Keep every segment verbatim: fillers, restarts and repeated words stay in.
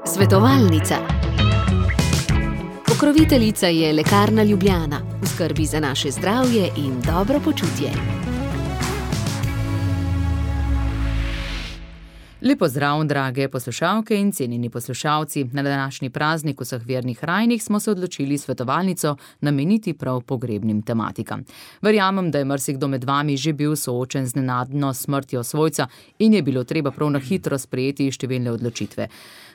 Svetovalnica. Pokroviteljica je Lekarna Ljubljana, v skrbi za naše zdravje in dobro počutje. Lep pozdrav, drage poslušalke in cenjeni poslušalci. Na današnji praznik vseh vernih rajnih smo se odločili svetovalnico nameniti prav pogrebnim tematikam. Verjamem, da je marsikdo med vami že bil soočen z nenadno smrtjo svojca in je bilo treba prav na hitro sprejeti številne odločitve.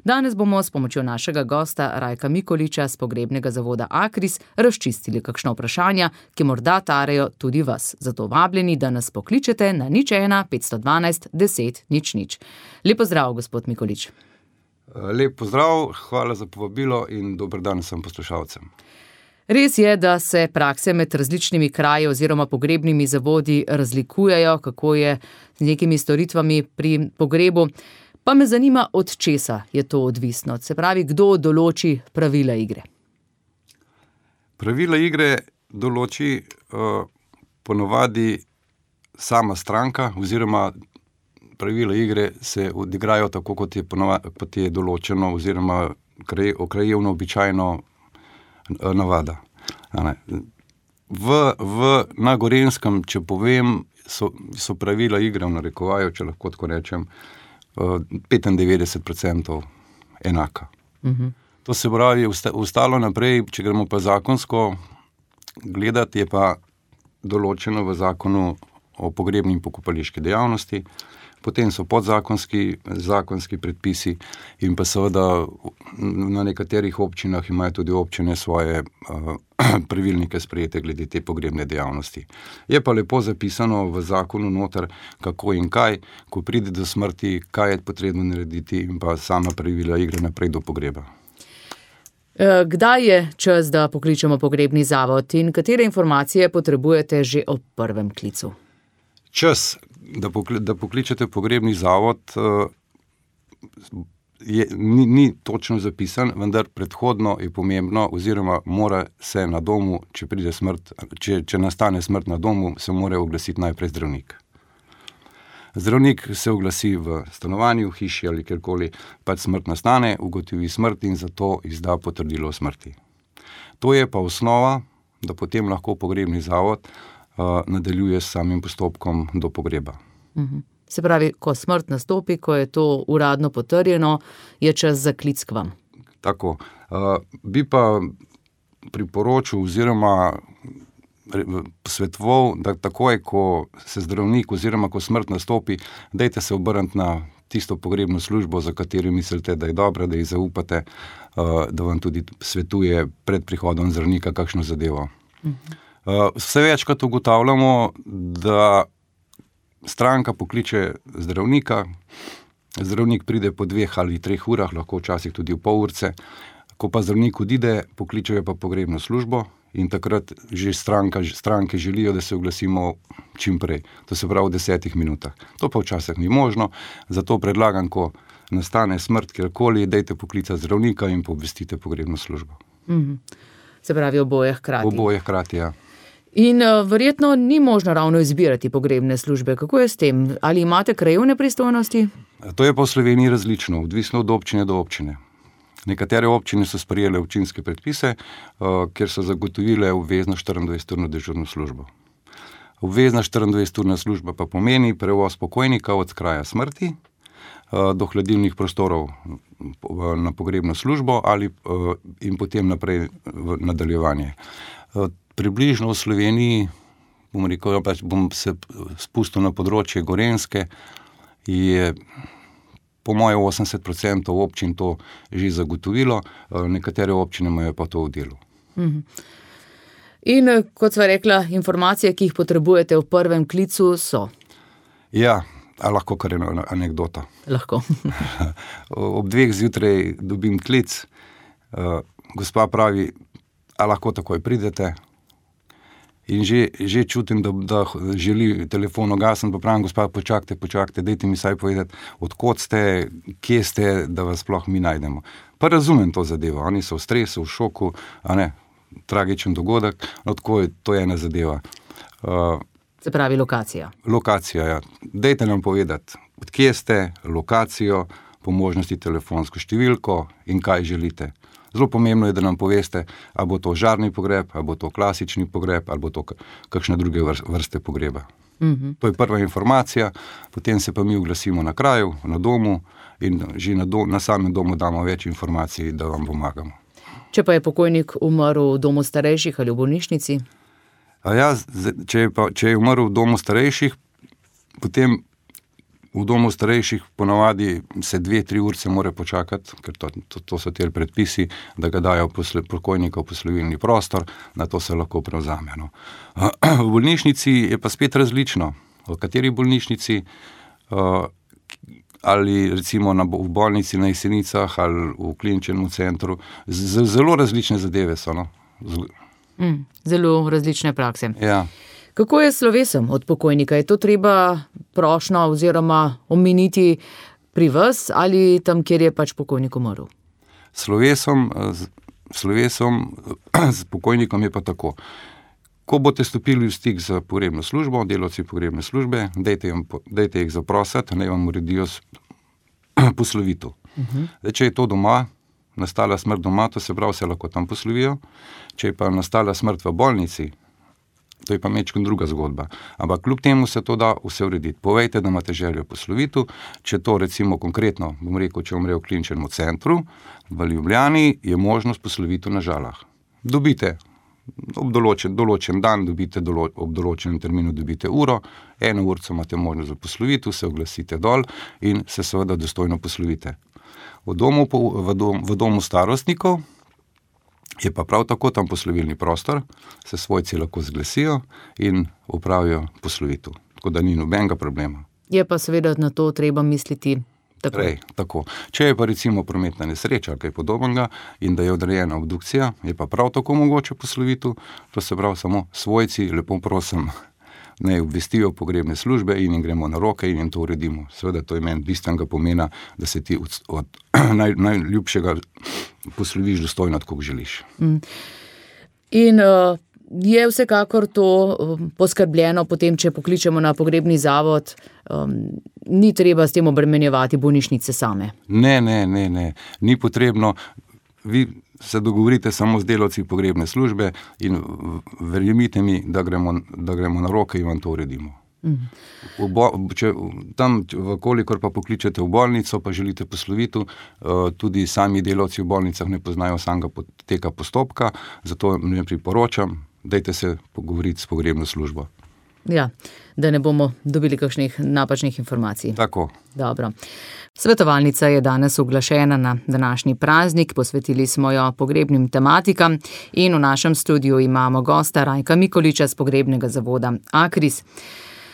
Danes bomo s pomočjo našega gosta Rajka Mikoliča z pogrebnega zavoda Akris razčistili kakšno vprašanja, ki morda tarejo tudi vas. Zato vabljeni, da nas pokličete na nič ena petsto dvanajst deset nič nič. Lep pozdrav, gospod Mikolič. Lep pozdrav, hvala za povabilo in dober dan vsem poslušalcem. Res je, da se prakse med različnimi kraji oziroma pogrebnimi zavodi razlikujejo, kako je z nekimi storitvami pri pogrebu. Pa me zanima, od česa je to odvisno. Se pravi, kdo določi pravila igre? Pravila igre določi uh, ponovadi sama stranka oziroma pravila igre se odigrajo tako, kot je, ponova, kot je določeno oziroma kraj, krajevno običajno navada. V, v, na Gorenjskem, če povem, so, so pravila igre v narekovaju, če lahko tako rečem, petindevetdeset procentov enaka. Uh-huh. To se pravi, ostalo naprej, če gremo pa zakonsko gledati, je pa določeno v zakonu o pogrebni in pokopališki dejavnosti, potem so podzakonski zakonski predpisi in pa seveda na nekaterih občinah imajo tudi občine svoje uh, pravilnike sprejete glede te pogrebne dejavnosti. Je pa lepo zapisano v zakonu noter, kako in kaj, ko pride do smrti, kaj je potrebno narediti in pa sama pravila igre naprej do pogreba. Kdaj je čas, da pokličemo pogrebni zavod in katere informacije potrebujete že ob prvem klicu? Čas, da, pokli, da pokličete pogrebni zavod, je, ni, ni točno zapisan, vendar predhodno je pomembno oziroma mora se na domu, če pride smrt, če, če nastane smrt na domu, se mora oglasiti najprej zdravnik. Zdravnik se oglasi v stanovanju, v hiši ali kjerkoli, pač smrt nastane, ugotovi smrt in zato izda potrdilo o smrti. To je pa osnova, da potem lahko pogrebni zavod uh, nadaljuje s samim postopkom do pogreba. Uh-huh. Se pravi, ko smrt nastopi, ko je to uradno potrjeno, je čas za klic k vam. Tako. Uh, bi pa priporočil oziroma posvetoval, da takoj, ko se zdravnik oziroma ko smrt nastopi, dajte se obrniti na tisto pogrebno službo, za katero mislite, da je dobra, da ji zaupate, da vam tudi svetuje pred prihodom zdravnika kakšno zadevo. Uh-huh. Vse večkrat ugotavljamo, da stranka pokliče zdravnika, zdravnik pride po dveh ali treh urah, lahko včasih tudi v pol urce, ko pa zdravnik odide, pokličejo pa pogrebno službo, in takrat že stranka, stranke želijo, da se oglasimo čim prej. To se pravi v desetih minutah. To pa včasih ni možno, zato predlagam, ko nastane smrt kjerkoli, dejte poklicati zdravnika in obvestite pogrebno službo. Mm-hmm. Se pravi oboje hkrati. Oboje hkrati, ja. In uh, verjetno ni možno ravno izbirati pogrebne službe. Kako je s tem? Ali imate krajevne pristojnosti? To je pa v Sloveniji različno, odvisno od občine do občine. Nekatere občine so sprejele občinske predpise, uh, kjer so zagotovile obvezno štiriindvajseturno dežurno službo. Obvezna štiriindvajseturna služba pa pomeni prevoz pokojnika od kraja smrti uh, do hladilnih prostorov uh, na pogrebno službo ali uh, in potem naprej v nadaljevanje. Uh, približno v Sloveniji, bom rekel, pač bom se spustil na področje Gorenjske, je po moje osemdeset procentov občin to že zagotovilo, nekatere občine imajo pa to v delu. Mhm. In kot sva rekla, informacije, ki jih potrebujete v prvem klicu, so? Ja, a lahko kar eno anekdota. Lahko. Ob dveh zjutraj dobim klic, gospa pravi, a lahko takoj pridete? In že, že čutim, da, da želi telefon ugasniti, pa pravim, gospa, počakajte, počakajte, dajte mi saj povedati, odkot ste, kje ste, da vas sploh mi najdemo. Pa razumem to zadevo, oni so v stresu, v šoku, a ne, tragičen dogodek, no tako je, to je ena zadeva. Uh, Se pravi lokacija. Lokacija, ja. Dajte nam povedati, odkje ste, lokacijo, po možnosti telefonsko številko in kaj želite. Zelo pomembno je, da nam poveste, ali bo to žarni pogreb, ali bo to klasični pogreb, ali bo to kakšne druge vrste pogreba. Mm-hmm. To je prva informacija, potem se pa mi oglasimo na kraju, na domu in že na, do, na samem domu damo več informacij, da vam pomagamo. Če pa je pokojnik umrl v domu starejših ali v bolnišnici? A ja, če je, pa, če je umrl v domu starejših, potem v domu starejših ponavadi se dve, tri urce mora počakati, ker to, to, to so te predpisi, da ga dajo posle, pokojnika v poslovilni prostor, na to se lahko prevzame. No. V bolnišnici je pa spet različno. V kateri bolnišnici, ali recimo na, v bolnici na Jesenicah ali v kliničnem centru, z, zelo različne zadeve so. No. Mm, zelo različne prakse. Ja. Kako je s slovesom od pokojnika? Je to treba prošnjo oziroma omeniti pri vas ali tam, kjer je pač pokojnik umrl? Slovesom, slovesom s pokojnikom je pa tako. Ko boste stopili v stik z pogrebno službo, delavci pogrebne službe, dajte, jim, dajte jih zaprositi, naj vam uredijo poslovitev. Uh-huh. Zdaj, če je to doma, nastala smrt doma, to se pravi, se lahko tam poslovijo. Če je pa nastala smrt v bolnici, to je pa mečkam druga zgodba. Ampak kljub temu se to da vse urediti. Povejte, da imate željo poslovitev. Če to recimo konkretno, bom rekel, če umre v kliničnem centru, v Ljubljani je možnost poslovitev na Žalah. Dobite ob določen, določen dan, dobite dolo, ob določenem terminu dobite uro, eno urco imate možnost za poslovitev, se oglasite dol in se seveda dostojno poslovite. V domu, v dom, v domu starostnikov je pa prav tako tam poslovilni prostor, se svojci lahko zglasijo in opravijo poslovitev. Tako da ni nobenega problema. Je pa seveda na to treba misliti tako. Prej, tako. Če je pa recimo prometna nesreča ali kaj podobnega in da je odrejena obdukcija, je pa prav tako mogoče poslovitev, to se pravi samo svojci, lepo prosim, naj obvestijo pogrebne službe in jim gremo na roke in jim to uredimo. Seveda to je meni bistvenega pomena, da se ti od, od naj, najljubšega posloviš dostojno, tako želiš. Mm. In uh, je vsekakor to um, poskrbljeno potem, če pokličemo na pogrebni zavod, um, ni treba s tem obremenjevati bolnišnice same? Ne, ne, ne, ne, ni potrebno. Vi se dogovorite samo z delavci pogrebne službe in verjemite mi, da gremo, da gremo na roke in vam to uredimo. Mm. V bo, če, tam, vkolikor pa pokličete v bolnico, pa želite poslovitev, tudi sami delavci v bolnicah ne poznajo samega poteka postopka, zato ne priporočam, dajte se pogovoriti s pogrebno službo. Ja, da ne bomo dobili kakšnih napačnih informacij. Tako. Dobro. Svetovalnica je danes uglašena na današnji praznik, posvetili smo jo pogrebnim tematikam in v našem studiu imamo gosta Rajka Mikoliča z pogrebnega zavoda Akris.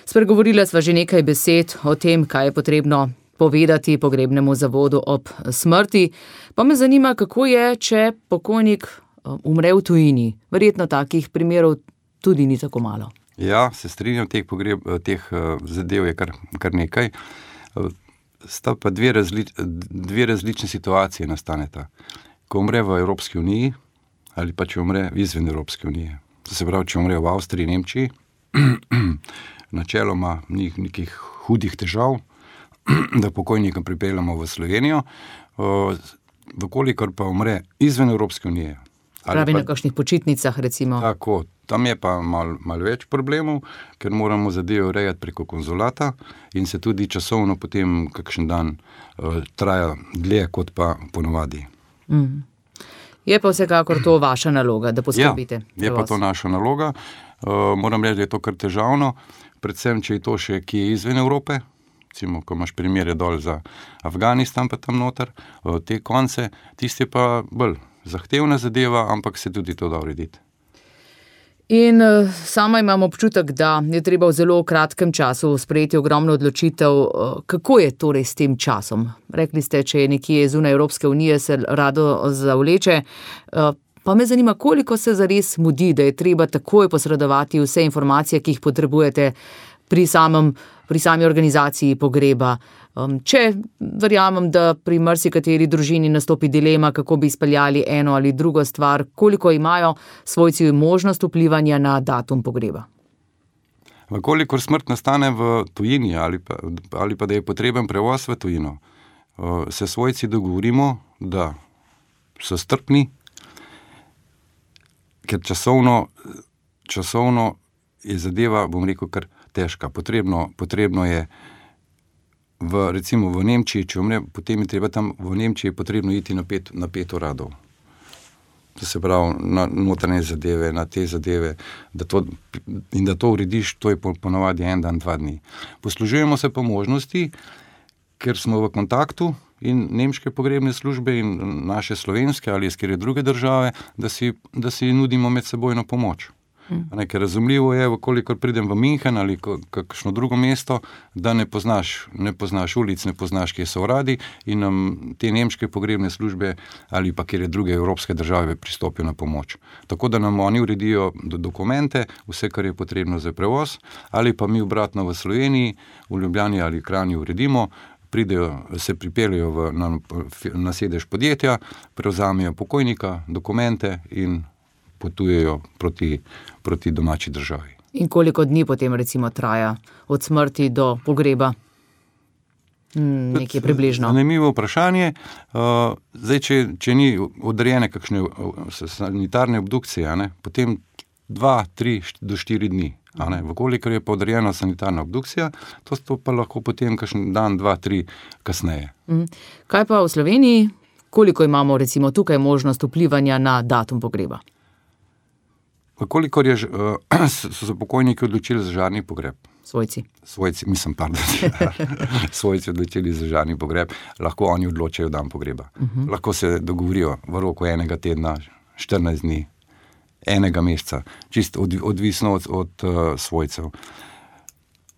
Spregovorila sva že nekaj besed o tem, kaj je potrebno povedati pogrebnemu zavodu ob smrti, pa me zanima, kako je, če pokojnik umre v tujini. Verjetno takih primerov tudi ni tako malo. Ja, se strinjam, teh, pogreb, teh zadev je kar, kar nekaj. Sta pa dve, razli, dve različne situacije nastaneta. Ko umre v Evropski uniji ali pa če umre izven Evropske unije. To se pravi, če umre v Avstriji, Nemčiji, načeloma ni nekih hudih težav, da pokojnika pripeljamo v Slovenijo. Vkolikor pa umre izven Evropske unije. Pravi na kakšnih počitnicah, recimo. Tako, tam je pa malo mal več problemov, ker moramo zadeve urejati preko konzulata in se tudi časovno potem kakšen dan uh, traja dlje, kot pa ponovadi. Mm. Je pa vsekakor to vaša naloga, da poskrbite? Ja, je pa to naša naloga. Uh, moram reči, da je to kar težavno, predvsem, če je to še kje izven Evrope, recimo, ko imaš primere dol za Afganistan, pa tam noter, uh, te konce, tiste pa bolj zahtevna zadeva, ampak se tudi to da urediti. In uh, sama imam občutek, da je treba v zelo kratkem času sprejeti ogromno odločitev. Uh, kako je torej s tem časom? Rekli ste, če je nekje zunaj Evropske unije, se rado zavleče. Uh, pa me zanima, koliko se zares mudi, da je treba takoj posredovati vse informacije, ki jih potrebujete pri, samem, pri sami organizaciji pogreba. Um, če verjamem, da pri marsikateri družini nastopi dilema, kako bi izpeljali eno ali drugo stvar, koliko imajo svojci možnost vplivanja na datum pogreba? Kolikor smrt nastane v tujini ali pa, ali pa da je potreben prevoz v tujino, se svojci dogovorimo, da so strpni, ker časovno, časovno je zadeva, bom rekel, kar težka. Potrebno, potrebno je v, recimo v Nemčiji, če umre, potem je treba tam v Nemčiji je potrebno iti na pet, na pet uradov. To se pravi, na notranje zadeve, na te zadeve, da to, in da to urediš, to je ponavadi en dan, dva dni. Poslužujemo se pa možnosti, ker smo v kontaktu in nemške pogrebne službe in naše slovenske ali iz kjer druge države, da si, da si nudimo medsebojno pomoč. Hmm. Ker razumljivo je, kolikor pridem v München ali kakšno drugo mesto, da ne poznaš, ne poznaš ulic, ne poznaš, kje so uradi in nam te nemške pogrebne službe ali pa kjer druge evropske države pristopijo na pomoč. Tako da nam oni uredijo dokumente, vse, kar je potrebno za prevoz, ali pa mi obratno v Sloveniji, v Ljubljani ali Kranju uredimo, pridejo, se pripeljejo v, na, na sedež podjetja, prevzamejo pokojnika, dokumente in potujejo proti, proti domači državi. In koliko dni potem recimo traja od smrti do pogreba? Hmm, nekje približno. Zanimivo vprašanje. Uh, zdaj, če, če ni odrejene kakšne sanitarne obdukcije, ne, potem dva, tri do štiri dni. A ne, vkolikor je pa odrejena sanitarna obdukcija, to, to pa lahko potem kakšen dan, dva, tri kasneje. Hmm. Kaj pa v Sloveniji? Koliko imamo recimo tukaj možnost vplivanja na datum pogreba? Kolikor je, so se pokojniki odločili za žarni pogreb. Svojci. Svojci, mislim, pardon. Svojci odločili za žarni pogreb, lahko oni odločajo dan pogreba. Uh-huh. Lahko se dogovorijo v roku enega tedna, štirinajst dni, enega meseca, čisto od, odvisno od, od uh, svojcev.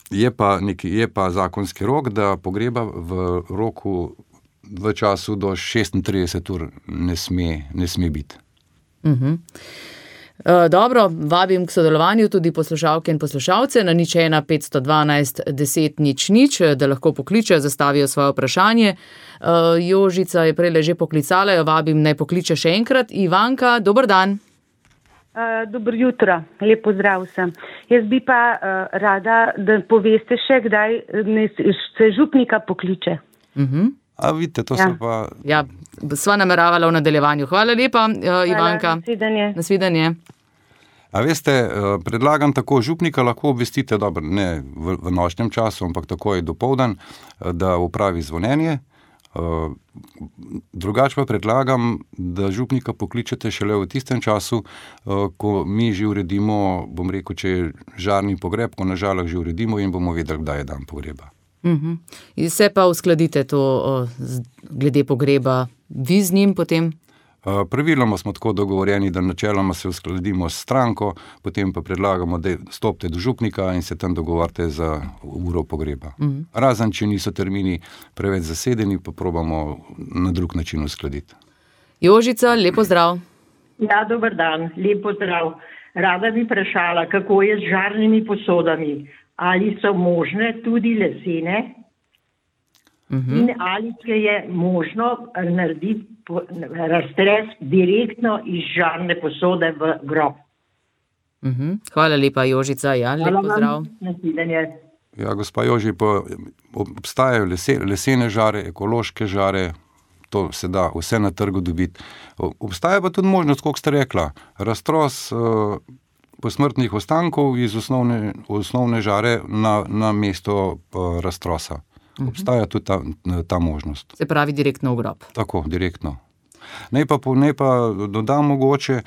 Je pa, neki, je pa zakonski rok, da pogreba v roku, v času do šestintrideset ur ne sme, ne sme biti. Uh-huh. Uh, dobro, vabim k sodelovanju tudi poslušalke in poslušalce na nič ena petsto dvanajst deset nič nič, da lahko pokličejo, zastavijo svoje vprašanje. Uh, Jožica je prej že poklicala, jo vabim, naj pokliče še enkrat. Ivanka, dober dan. Uh, dobro jutro, lep pozdrav vsem. Jaz bi pa uh, rada, da poveste še, kdaj se župnika pokliče. Uh-huh. A vidite, to ja. so pa... Ja, sva nameravala v nadaljevanju. Hvala lepa, uh, Ivanka. Hvala, nasvidenje. Nasvidenje. A veste, predlagam tako, župnika lahko obvestite, dobro, ne v, v nočnem času, ampak takoj dopoldan, da upravi zvonjenje. Drugače pa predlagam, da župnika pokličete šele v tistem času, ko mi že uredimo, bom rekel, če je žarni pogreb, ko na žalah že uredimo in bomo vedeli, kdaj je dan pogreba. Uh-huh. In se pa uskladite to o, glede pogreba vi z njim potem? Praviloma smo tako dogovorjeni, da načeloma se uskladimo s stranko, potem pa predlagamo, da stopite do župnika in se tam dogovorite za uro pogreba. Uh-huh. Razen, če niso termini preveč zasedeni, pa probamo na drug način uskladiti. Jožica, lep pozdrav. Ja, dober dan, lep pozdrav. Rada bi vprašala, kako je z žarnimi posodami. Ali so možne tudi lesene? Uh-huh. In ali je možno narediti razstres direktno iz žarne posode v grob. Uh-huh. Hvala lepa, Jožica. Ja, lep pozdrav. Ja, gospa Joži, pa obstajajo lese, lesene žare, ekološke žare, to se da vse na trgu dobiti. Obstaja pa tudi možnost, kako ste rekla, raztros uh, posmrtnih ostankov iz osnovne, osnovne žare na, na mesto uh, raztrosa. Obstaja tudi ta, ta možnost. Se pravi direktno v grob. Tako, direktno. Naj pa, naj pa dodam mogoče,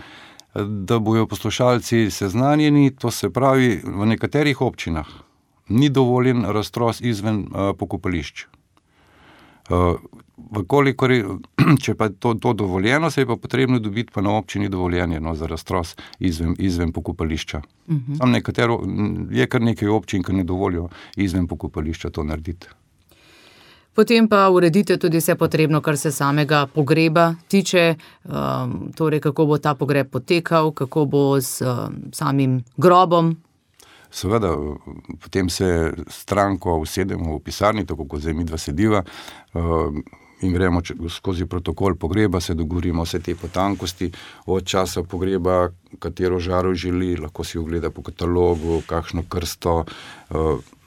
da bojo poslušalci seznanjeni, to se pravi, v nekaterih občinah ni dovoljen raztros izven uh, pokopališč. Uh, Vkolikor je, če pa je to, to dovoljeno, se je pa potrebno dobiti pa na občini dovoljenje no, za raztros izven, izven pokopališča. Uh-huh. Tam nekatero, je kar nekaj občin, ki ne dovolijo izven pokopališča to narediti. Potem pa uredite tudi vse potrebno, kar se samega pogreba tiče, um, torej kako bo ta pogreb potekal, kako bo s um, samim grobom. Seveda, potem se stranko usedemo v pisarni, tako kot zdaj midva sediva, uh, in gremo skozi protokol pogreba, se dogovorimo vse te potankosti, od časa pogreba, katero žaro želi, lahko si ogleda po katalogu, kakšno krsto,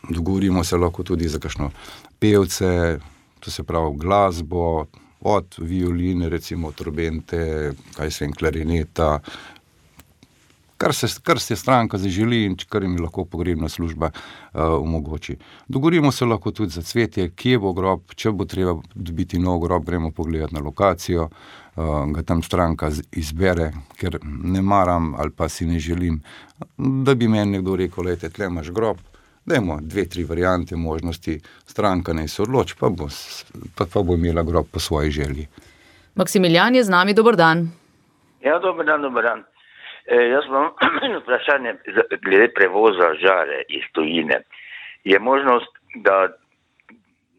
dogovorimo se lahko tudi za kakšno pevce, to se pravi glasbo, od violine, recimo trobente, kaj se vem, klarineta, kar se, kar se stranka zaželi in kar jim lahko pogrebna služba uh, omogoči. Dogovorimo se lahko tudi za cvetje, kje bo grob, če bo treba dobiti nov grob, gremo pogledati na lokacijo, uh, ga tam stranka izbere, ker ne maram ali pa si ne želim, da bi meni nekdo rekel, lejte, tle imaš grob, dajmo dve, tri variante možnosti, stranka naj se odloči, pa bo, pa, pa bo imela grob po svoji želji. Maksimilijan je z nami, dober dan. Ja, dober dan, dober dan. E, jaz imam vprašanje glede prevoza žare iz tujine. Je možnost, da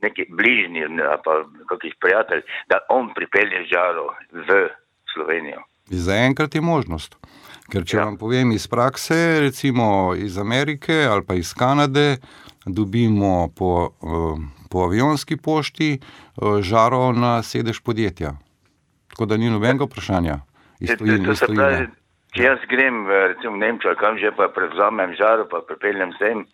neki bližnji, pa kakih prijatelj, da on pripelje žaro v Slovenijo? Zaenkrat je možnost. Ker če ja. vam povem iz prakse, recimo iz Amerike ali pa iz Kanade, dobimo po, po avionski pošti žaro na sedež podjetja. Tako da ni nobenega vprašanja. Iz tujine, iz tujine. Če jaz grem recimo v Nemčijo, kam že pa prevzamem žaro, pa pripeljem sem,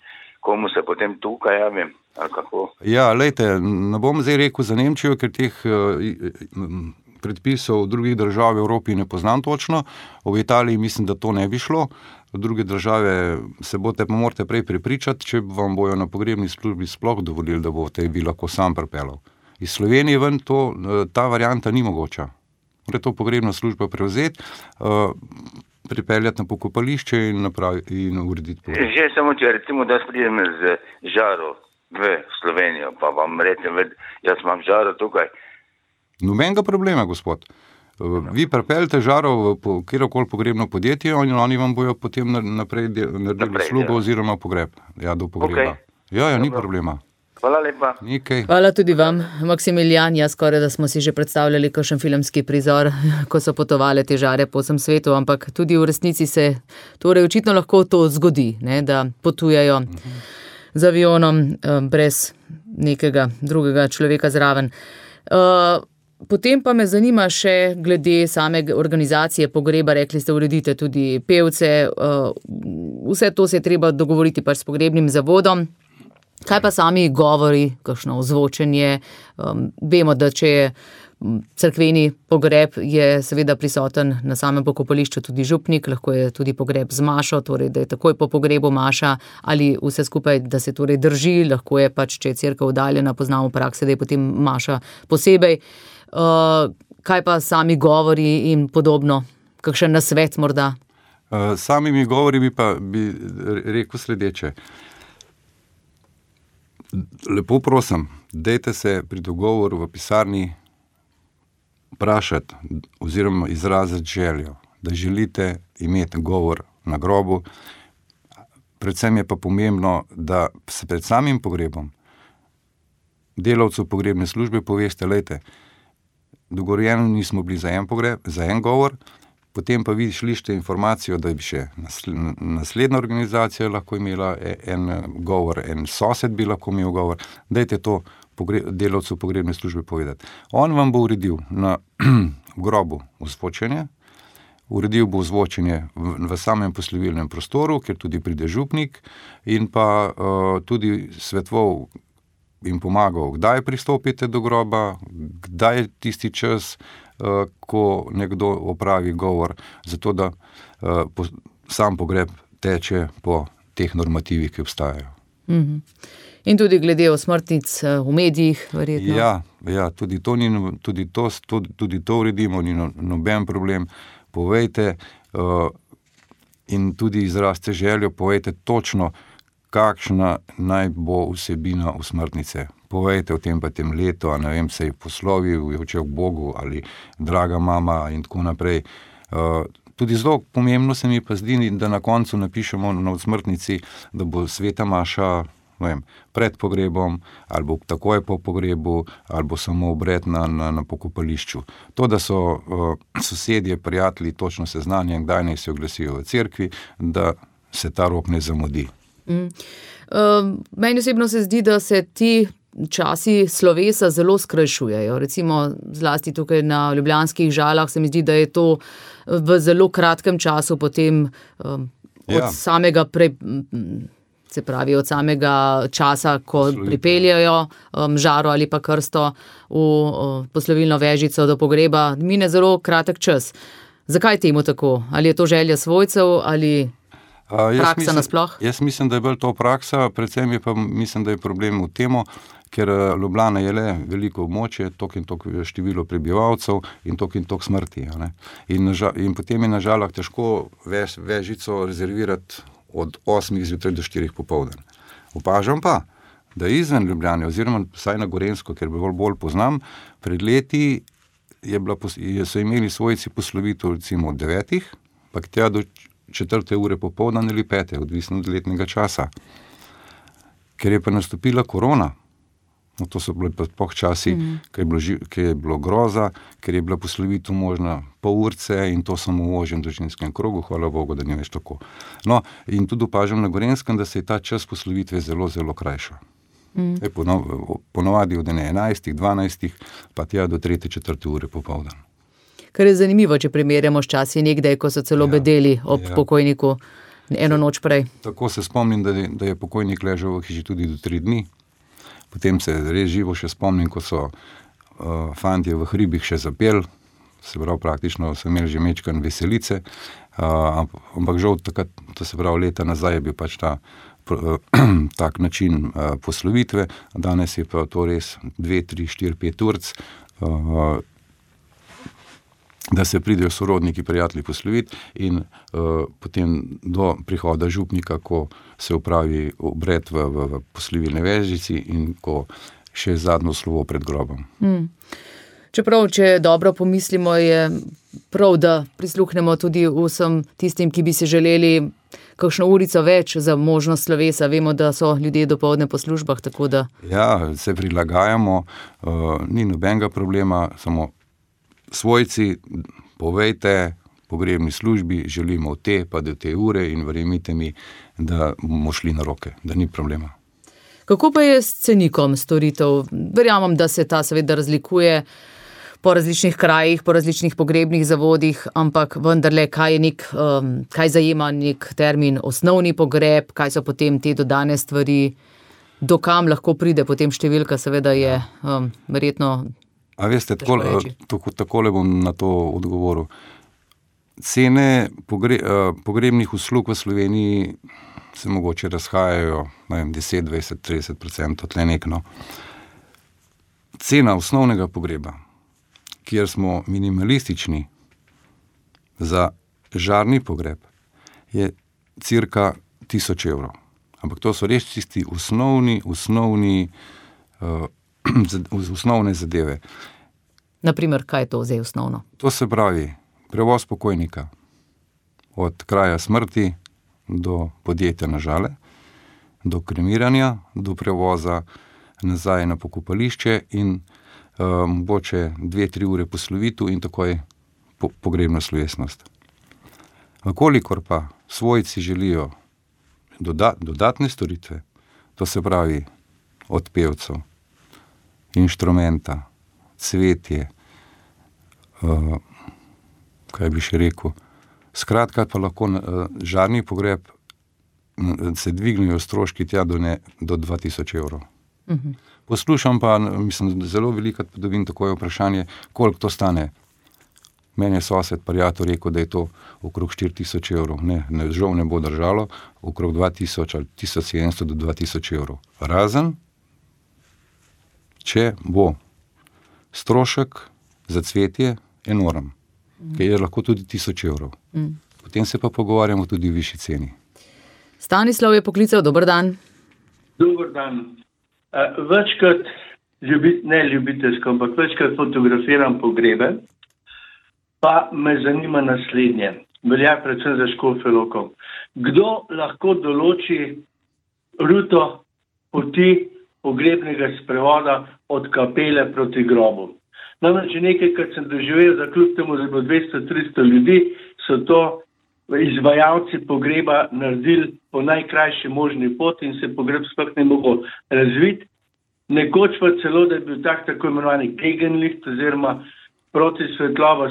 komu se potem tukaj javim, ali kako? Ja, lejte, ne bom zdaj rekel za Nemčijo, ker teh predpisov v drugih držav v Evropi ne poznam točno, v Italiji mislim, da to ne bi šlo, v druge države se boste pa morate prej prepričati, če vam bojo na pogrebni službi sploh dovolili, da boste vi lahko sam pripeljal. Iz Slovenije ven to, ta varianta ni mogoča. Mora to pogrebna služba prevzeti, uh, pripeljati na pokopališče in, napravi, in urediti pogreb. Že samo če recimo, da pridem z žaro v Slovenijo, pa vam rečem, jaz imam žaro tukaj. Nobenega problema, gospod. Vi pripeljete žaro v po, kjerokoli pogrebno podjetje in oni vam bojo potem naprej naredili slugo ja. oziroma pogreb. Ja, do pogreba. Okay. Ja, ja, ni problema. Hvala lepa. Nikaj. Hvala tudi vam, Maksimilijan. Ja, skoraj da smo si že predstavljali kakšen filmski prizor, ko so potovale te žare po vsem svetu, ampak tudi v resnici se torej očitno lahko to zgodi, ne, da potujajo uh-huh. z avionom um, brez nekega drugega človeka zraven. Uh, Potem pa me zanima še glede same organizacije pogreba, rekli ste, uredite tudi pevce, uh, vse to se je treba dogovoriti pač s pogrebnim zavodom. Kaj pa sami govori, kakšno ozvočenje? Um, vemo, da če je cerkveni pogreb, je seveda prisoten na samem pokopališču tudi župnik, lahko je tudi pogreb z mašo, torej da je takoj po pogrebu maša ali vse skupaj, da se torej drži, lahko je pač, če je cerkev oddaljena, poznamo prakse, da je potem maša posebej. Uh, kaj pa sami govori in podobno? Kakšen nasvet morda? Uh, samimi govori bi pa bi rekel sledeče. Lepo prosim, dajte se pri dogovoru v pisarni vprašati oziroma izraziti željo, da želite imeti govor na grobu. Predvsem je pa pomembno, da se pred samim pogrebom delavcu pogrebne službe poveste, lejte, dogovorjeno nismo bili za en pogreb, za en govor, potem pa vi šlište informacijo, da bi še naslednja organizacija lahko imela en govor, en sosed bi lahko imel govor, dajte to pogre- delavcu pogrebne službe povedati. On vam bo uredil na grobu ozvočenje, uredil bo ozvočenje v, v samem poslovilnem prostoru, kjer tudi pride župnik in pa uh, tudi svetoval in pomagal, kdaj pristopite do groba, kdaj je tisti čas, uh, ko nekdo opravi govor, zato da uh, po, sam pogreb teče po teh normativih, ki obstajajo. Mm-hmm. In tudi glede osmrtnic v medijih, verjetno? Ja, ja tudi, to ni, tudi, to, tudi, tudi to uredimo, ni no, noben problem. Povejte uh, in tudi izrazite željo, povejte točno, kakšna naj bo vsebina osmrtnice. Povejte o tem pa tem letu, a ne vem, se je poslovil, je očel k Bogu ali draga mama in tako naprej. Uh, tudi zelo pomembno se mi pa zdi, da na koncu napišemo na osmrtnici, da bo sveta maša, ne vem, pred pogrebom, ali bo takoj po pogrebu, ali bo samo obred na, na, na pokopališču. To, da so uh, sosedje, prijatelji točno seznanjeni, kdaj naj se oglasijo v cerkvi, da se ta rok ne zamudi. Mm. Uh, meni osebno se zdi, da se ti časi slovesa zelo skrajšujejo. Recimo zlasti tukaj na Ljubljanskih Žalah se mi zdi, da je to v zelo kratkem času potem um, od ja. samega pre, se pravi, od samega časa, ko Poslovite. pripeljajo um, žaro ali pa krsto v uh, poslovilno vežico do pogreba, mine zelo kratek čas. Zakaj temu tako? Ali je to želja svojcev ali A, praksa mislim, nasploh? Jaz mislim, da je bolj to praksa, predvsem je pa mislim, da je problem v temu, ker Ljubljana je le veliko območje, tok in tok število prebivalcev in tok in tok smrti. Ne? In, nažal, in potem je na Žalah težko vež, vežico rezervirati od osmih zjutraj do štirih popoldan. Opažam pa, da izven Ljubljane, oziroma vsaj na Gorenjsko, ker bolj, bolj poznam, pred leti je bila, so imeli svojci poslovitev recimo od devetih, pa tja do četrte ure popoldan ali pete, odvisno od letnega časa. Ker je pa nastopila korona, no to so bili pa poh časi, mm. ker, je bilo, ker je bilo groza, ker je bila poslovitev možna pol urce in to samo v ožjem družinskem krogu, hvala Bogu, da ni več tako. No, in tudi opažam na Gorenskem, da se je ta čas poslovitve zelo, zelo krajša. Mm. Je ponovadi od enajstih, dvanajstih, pa tja do tretje, četrte ure popoldan. Kar je zanimivo, če primerjamo s časi nekdaj, ko so celo ja, bedeli ob ja. pokojniku eno noč prej. Tako se spomnim, da je, da je pokojnik ležal v hiši tudi do tri dni. Potem se res živo še spomnim, ko so uh, fantje v hribih še zapeli, se pravi praktično so imeli že mečkan veselice, uh, ampak žal takrat, to se pravi leta nazaj je bil pač ta uh, tak način uh, poslovitve, danes je pa to res dve, tri, štiri, pet urc, uh, da se pridejo sorodniki, prijatelji posloviti in uh, potem do prihoda župnika, ko se opravi obred v, v, v poslovilne vežici in ko še zadnjo slovo pred grobom. Hmm. Čeprav, če dobro pomislimo, je prav, da prisluhnemo tudi vsem tistim, ki bi se želeli kakšno urico več za možnost slovesa. Vemo, da so ljudje dopoldne po službah, tako da... Ja, se prilagajamo, uh, ni nobenega problema, samo svojci, povejte pogrebni službi, želimo te, pa do te ure in verjemite mi, da bomo šli na roke, da ni problema. Kako pa je s cenikom storitev? Verjamem, da se ta seveda razlikuje po različnih krajih, po različnih pogrebnih zavodih, ampak vendarle, kaj je nek, um, kaj zajema nek termin osnovni pogreb, kaj so potem te dodane stvari, do kam lahko pride potem številka, seveda je um, verjetno... A veste, takole, tako, takole bom na to odgovoril. Cene pogre, pogrebnih uslug v Sloveniji se mogoče razhajajo, ne vem, deset, dvajset, trideset procentov, tle nekno. Cena osnovnega pogreba, kjer smo minimalistični za žarni pogreb, je cirka tisoč evrov. Ampak to so res tisti osnovni, osnovni uh, osnovne zadeve. Naprimer, kaj je to zdaj osnovno? To se pravi, prevoz pokojnika od kraja smrti do podjetja na Žale, do kremiranja, do prevoza nazaj na pokopališče in uh, mogoče dve, tri ure poslovitev in takoj po, pogrebna slovesnost. Kolikor pa svojci želijo doda, dodatne storitve, to se pravi od pevcev, inštrumenta, cvetje, uh, kaj bi še rekel, skratka pa lahko uh, žarni pogreb uh, se dvignejo stroški tja do, ne, do dva tisoč evrov. Uh-huh. Poslušam pa, mislim, zelo veliko dobim takoj vprašanje, koliko to stane. Meni je sosed prijatelj rekel, da je to okrog štiri tisoč evrov. Ne, ne, žal ne bo držalo, okrog dva tisoč ali tisoč sedemsto do dva tisoč evrov. Razen, če bo strošek za cvetje enorm, mm. ki je lahko tudi tisoč evrov. Mm. Potem se pa pogovarjamo tudi v višji ceni. Stanislav je poklical, dober dan. Dober dan. Uh, večkrat, ljubit, ne ljubiteljsko, ampak večkrat fotografiram pogrebe, pa me zanima naslednje. Velja predvsem za Škofjo Loko. Kdo lahko določi ruto poti pogrebnega sprevoda od kapele proti grobu? Namreč nekaj, kar sem doživel, da kljub temu, da je bilo dvesto, tristo ljudi, so to izvajalci pogreba naredili po najkrajši možni poti in se pogreb sploh ne mogo razviti. Nekoč pa celo, da je bil tak tako imenovani Gegenlicht oziroma protisvetlova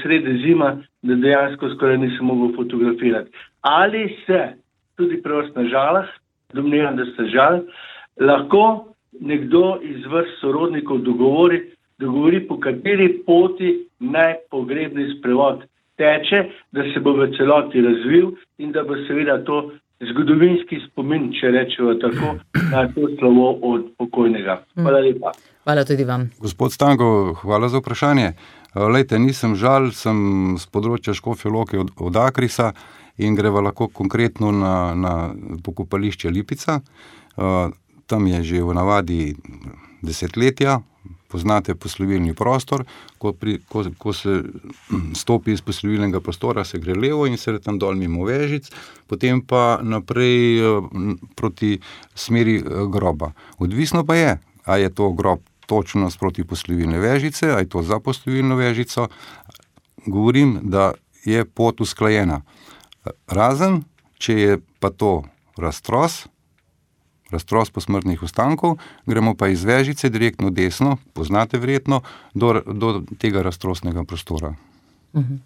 sredi zima, da dejansko skoraj nisem mogel fotografirati. Ali se tudi pri vas na žalah, domnevam, da ste žal, lahko nekdo iz vrst sorodnikov dogovori, dogovori po kateri poti naj pogrebni sprevod teče, da se bo v celoti razvil in da bo seveda to zgodovinski spomin, če rečemo tako, na to slovo od pokojnega. Hvala lepa. Hvala tudi vam. Gospod Stanko, hvala za vprašanje. Lejte, nisem žal, sem z področja Škofje Loke od, od Akrisa in greva lahko konkretno na, na pokopališče Lipica. Tam je že v navadi desetletja, poznate poslovilni prostor, ko, pri, ko, ko se stopi iz poslovilnega prostora, se gre levo in se tam dol mimo Vežic, potem pa naprej proti smeri groba. Odvisno pa je, a je to grob točno sproti poslovilne Vežice, a je to za poslovilno Vežico. Govorim, da je pot usklajena. Razen, če je pa to raztros, raztros posmrtnih ostankov, gremo pa iz Vežice direktno desno, poznate verjetno, do, do tega raztrosnega prostora. Uh-huh.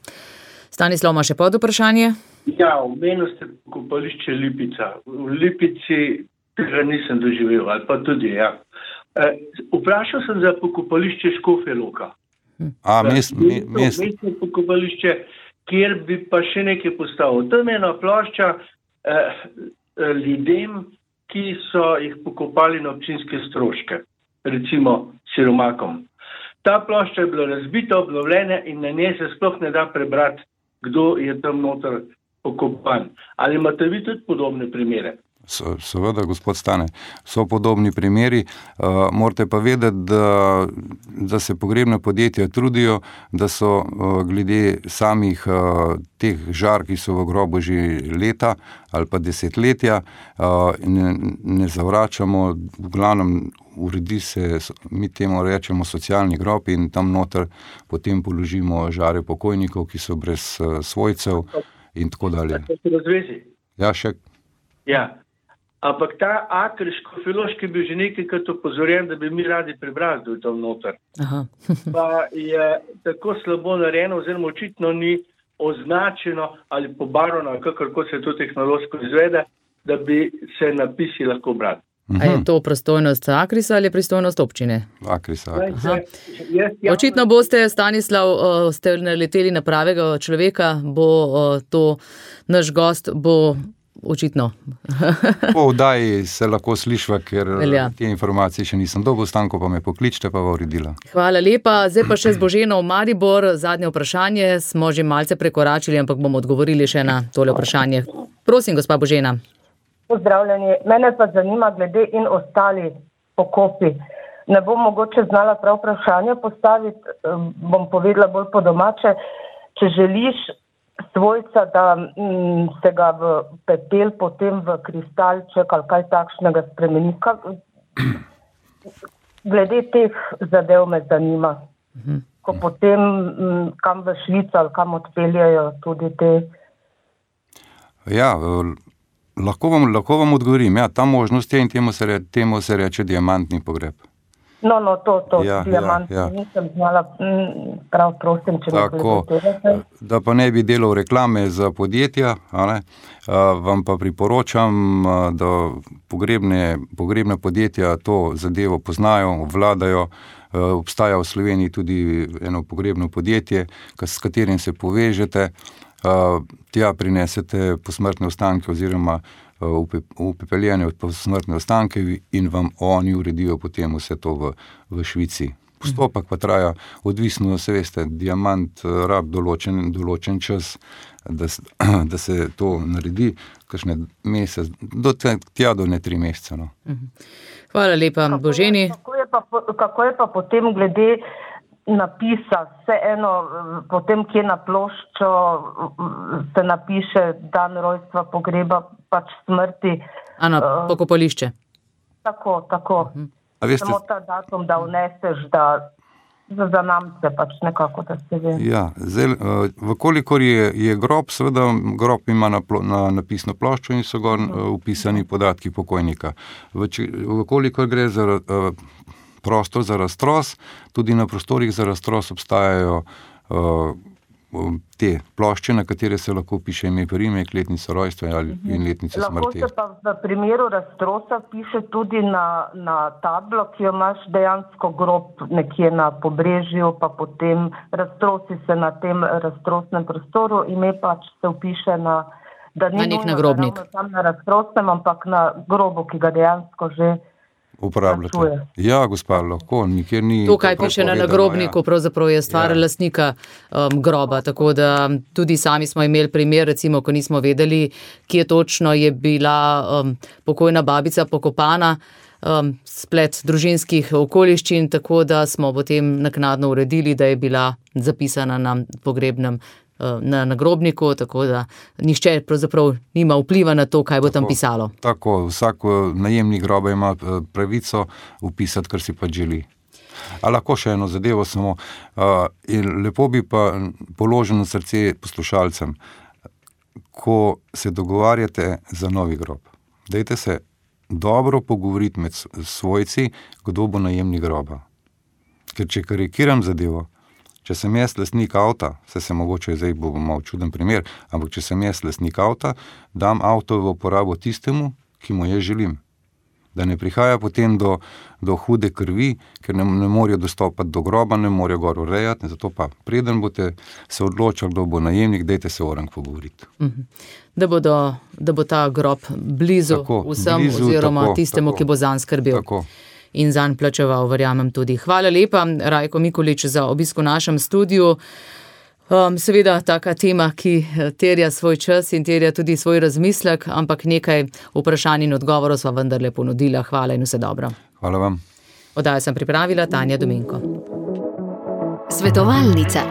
Stanislav, ima še pod vprašanje? Ja, omenil ste pokopališče Lipica. V Lipici tega nisem doživel, ali pa tudi, ja. E, vprašal sem za pokopališče Škofje Loka. A, mest, me, mest. Mestno pokopališče, kjer bi pa še nekaj postavil. Tam je ena plošča eh, ljudem, ki so jih pokopali na občinske stroške, recimo siromakom. Ta plošča je bila razbita, obnovljena in na njej se sploh ne da prebrati, kdo je tam noter pokopan. Ali imate vi tudi podobne primere? So, seveda, gospod Stane, so podobni primeri. Uh, morate pa vedeti, da, da se pogrebna podjetja trudijo, da so uh, glede samih uh, teh žar, ki so v grobu že leta ali pa desetletja, uh, ne, ne zavračamo, v glavnem uredi se, mi temu rečemo socialni grob in tam noter potem položimo žare pokojnikov, ki so brez uh, svojcev in tako dalje. Ja, še. Ja. Ampak ta Aker škofjeloški je bil že nekajkrat opozorjen, da bi mi radi prebrali, da je tam noter. Aha. Pa je tako slabo narejeno, oziroma očitno ni označeno ali pobarvano, kakorko se to tehnološko izvede, da bi se napisi lahko brali. A je to pristojnost Akrisa ali pristojnost občine? Akrisa. Akrisa. Očitno boste, Stanislav, ste naleteli na pravega človeka, bo to naš gost, bo očitno. Po vdaji se lahko slišva, ker Velja. Te informacije še nisem dobil, Stanko pa me pokličte, pa bo uredila. Hvala lepa. Zdaj pa še z Boženo v Maribor. Zadnje vprašanje smo že malce prekoračili, ampak bomo odgovorili še na tole vprašanje. Prosim, gospa Božena. Pozdravljeni. Mene pa zanima glede in ostali pokopi. Ne bom mogoče znala prav vprašanje postaviti, bom povedala bolj po domače. Če želiš svojca, da m, se ga v pepel, potem v kristalček ali kaj takšnega spremeni. Kak, glede teh zadev me zanima. Mhm. Ko potem m, kam v Švico ali kam odpeljajo tudi te. Ja, lahko vam, lahko vam odgovorim. Ja, ta možnost je in temu se, re, temu se reče diamantni pogreb. No, no, to, to, ja, diamant, ja, ja. Nisem znala, prav prosim, če Tako, me da pa ne bi delal reklame za podjetja, a ne, a, vam pa priporočam, a, da pogrebne, pogrebne podjetja to zadevo poznajo, obvladajo. A, obstaja v Sloveniji tudi eno pogrebno podjetje, s katerim se povežete, a, tja prinesete posmrtne ostanke oziroma upepeljene od posmrtne ostanke in vam oni uredijo potem vse to v, v Švici. Postopek pa traja, odvisno, se veste, diamant rab določen, določen čas, da, da se to naredi, kakšne mesec, do tja do ne tri mesece. No. Hvala lepa, kako Boženi. Je, kako, je pa, kako je pa potem glede napisa, vse eno, potem kje na ploščo se napiše dan rojstva, pogreba, pač smrti. Ano, pokopališče. Tako, tako. A veste, samo ta datum, da vneseš, da za zanamce, pač nekako, da se ve. Ja, zdaj, vkolikor je, je grob, seveda grob ima na, na napisno ploščo in so gor upisani podatki pokojnika. Vkolikor gre za prostor za raztros, tudi na prostorih za raztros obstajajo uh, te plošče, na katere se lahko piše ime, priimek, letnico rojstva ali in letnico smrti. Lahko se pa v primeru raztrosa piše tudi na, na tablo, ki jo imaš dejansko grob nekje na pobrežju, pa potem raztrosi se na tem raztrosnem prostoru, ime pač se upiše na, da ni na nek nagrobnik. Tam na raztrosnem, ampak na grobu, ki ga dejansko že uporabljate. Ja, gospa, lahko, nikjer ni... Tukaj piše na nagrobniku, ja. Pravzaprav je stvar ja. lastnika um, groba, tako da tudi sami smo imeli primer, recimo, ko nismo vedeli, kje točno je bila um, pokojna babica pokopana, um, splet družinskih okoliščin, tako da smo potem naknadno uredili, da je bila zapisana na pogrebnem na nagrobniku, tako da nihče pravzaprav nima vpliva na to, kaj bo tako, tam pisalo. Tako, vsak najemnik groba ima pravico upisati, kar si pa želi. A lahko še eno zadevo samo, uh, in lepo bi pa položil na srce poslušalcem, ko se dogovarjate za novi grob. Dajte se dobro pogovoriti med svojci, kdo bo najemnik groba. Ker če karikiram zadevo, če sem jaz lastnik avta, se se mogoče zdaj bo malo čuden primer, ampak če sem jaz lastnik avta, dam avto v uporabo tistemu, ki mu jaz želim. Da ne prihaja potem do, do hude krvi, ker ne, ne morajo dostopati do groba, ne morajo gor urejati, zato pa preden boste se odločili, kdo bo najemnik, dajte se orang pogovoriti. Da, bodo, da bo ta grob blizu tako, vsem blizu, oziroma tako, tistemu, tako, ki bo zanj skrbel. Tako. In zanj plačeval, verjamem tudi. Hvala lepa, Rajko Mikulič, za obisk v našem studiu. Um, seveda, taka tema, ki terja svoj čas in terja tudi svoj razmislek, ampak nekaj vprašanj in odgovorov sva vendarle ponudila. Hvala in vse dobro. Hvala vam. Oddajo sem pripravila Tanja Domenko. Svetovalnica.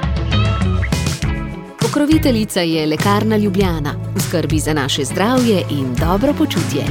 Pokroviteljica je Lekarna Ljubljana. V skrbi za naše zdravje in dobro počutje.